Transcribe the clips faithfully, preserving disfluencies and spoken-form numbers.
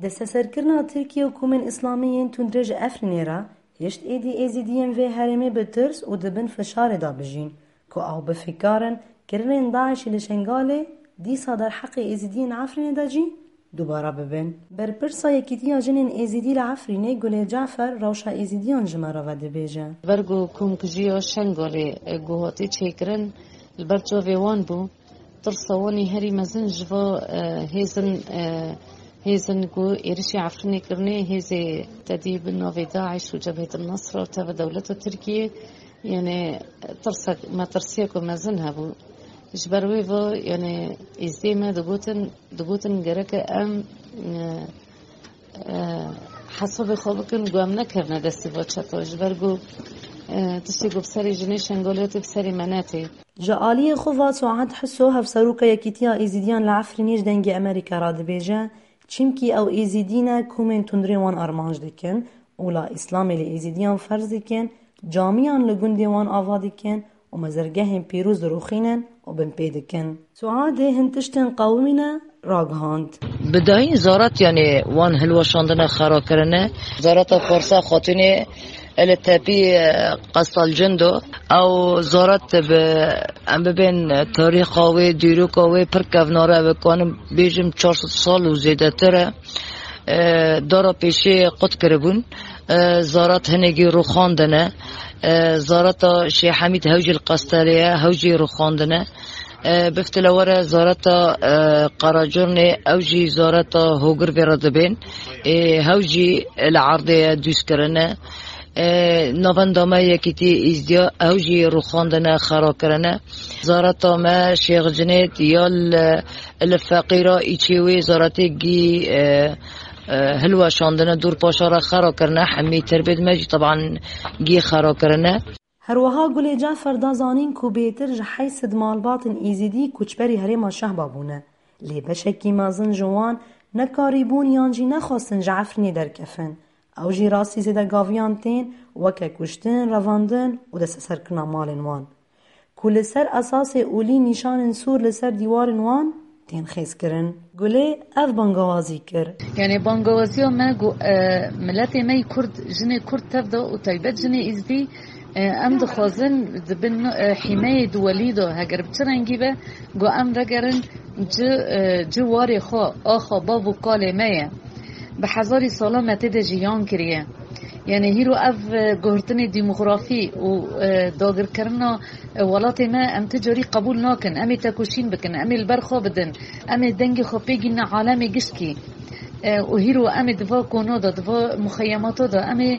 Desteserkirina Tirkiye û komên Îslamî yên tundrê ji Efrînê re hişt êdî Êzîdiyên vê herêmê bi tirs û di bin fişarê de bijîn, ku ew bi fîkar in kirinên DAIŞ'î li Şengalê dîsa derheqê Êzîdiyên Efrînê de jî dubare bibin. Berpirsa Yekîtiya Jinên Êzîdî li Efrînê Gulê Cafer rewşa Êzîdiyan ji me re ve dibêje. Ber ku komkujiya Şengalê, e, ku hatî çêkirin, li ber çavê wan bû. Tirsa wan ê herî mezin ji va, e, hêzin, e, hêzin ku êrişî Efrînê kirinê, hêzê tedî bi navê DAIŞ û Cebhetil Nusra û tevî dewleta Tirkiyê, yanî tirsek, metirsiyek ku mezin hebû. Ji ber wê va, yanî êzdê me digotin, digotin gereke em, e, e, hesabê xwe bikin ku em nekevine destê va çeta. Ji ber ku, e, tiştê ku bi serê jinê Şengalê tê, bi serê me netê. Ji aliyê xwe va Suad Hiso, hevseroka Yekîtiya Êzîdiyan li Efrînê ji Dengê Amerîka re dibêje, çimkî ew Êzîdî ne, komên tundrê wan armanc dikin û la Îslamê li Êzîdiyan ferz dikin, camiyan li gundê wan ava dikin û mezirgehên pîroz dirûxînin û binpê dikin. Suadê hin tiştên qewimîne ragihand. Bi dayîn zarat, yanî wan hilweşandine, xera kirine. Zarata Farsa Xatûnê li tepî, e, Qesal Cindo. Ew zarat bi, em bibên tarîxa wê, dîroka wê pir kevnar e, bi kanim bêjim çar sed sal û zêdetir e. E, dara pêşê qut kiribûn. E, zarat hinekî rûxandine. E, zarata Şêh Hemîd hew jî li Qestelê ye, hew jî rûxandine. E, bifte le were zareta, e, Qeracurnê, ew jî zareta hogir vê re dibên. E, hew jî li erdê ye, dûz kirine. E, navenda me Yekîtiyê Êzdiya, ew jî rûxandine, xera kirine. Zareta me Şêx Cinêd ya li, li Feqîra îçê wê zaretê gî, e, e, hilweşandine, dûr paşa re xera kirine. Hemî tirbêd me jî teban gî xera kirine. Herwiha Gulê Cafer da zanîn ku bêtir ji heyt sed malbatên Êzîdî koçberî herêma Şehba bûne, lê beşekî mezin ji wan nekarîbûn yan jî nexwestin ji Efrînê derkefin. Ew jî rastî zêdegaviyan tên, weke kuştin, revandin û desteserkirina malên wan, ku li ser esasê olî nîşanên sûr li ser dîwarên wan tên xêzkirin. Gulê ev bangawazî kir. Yanî bangawaziya me ku, e, miletê me yî Kurd, jinê Kurd tev de û taybet jinê Êzdî, e, em dixwazin di bin, e, hîmeyê duwelî de, heger bi çi rengî be, ku em vegerin ci, e, ci warê xwe, axa bav û kalê me ye. Bi hezarî sala me tê de jiyan kiriye. Yanî hîro ev, e, guhirtinê demografî û, e, dagirkirina, e, welatê me em ti carî qebûl nakin. Em ê tekoşîn bikin, em ê li ber xwe bidin, em ê dengê xwe pê gînin alemê gişkî. E, û hîro em ê di va kona de, di va muxeyemata de, em ê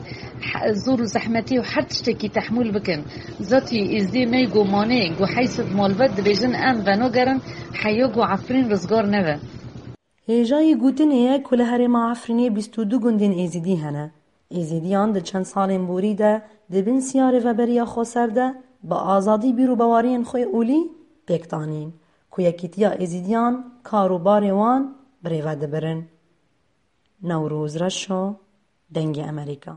he-, zor û zehmetî û her tiştekî tehmûl bikin. Zatî Êzdiyê me yê ku manê, ku heyt sed malbat dibêjin, em venagerin heya ku Efrîn rizgar nebe. Hêjayî gotinê ye ku li herêma Efrînê bîst û du gundên Êzîdî hene. Êzîdiyan di çend salên borî de di bin siyarê veberiya xweser de bi azadî bîr û baweriyên xwe olî pêk danîn ku Yekîtiya Êzîdiyan kar û barê wan bi rê ve dibirin. Newroz Reşo, Dengê Amerîka.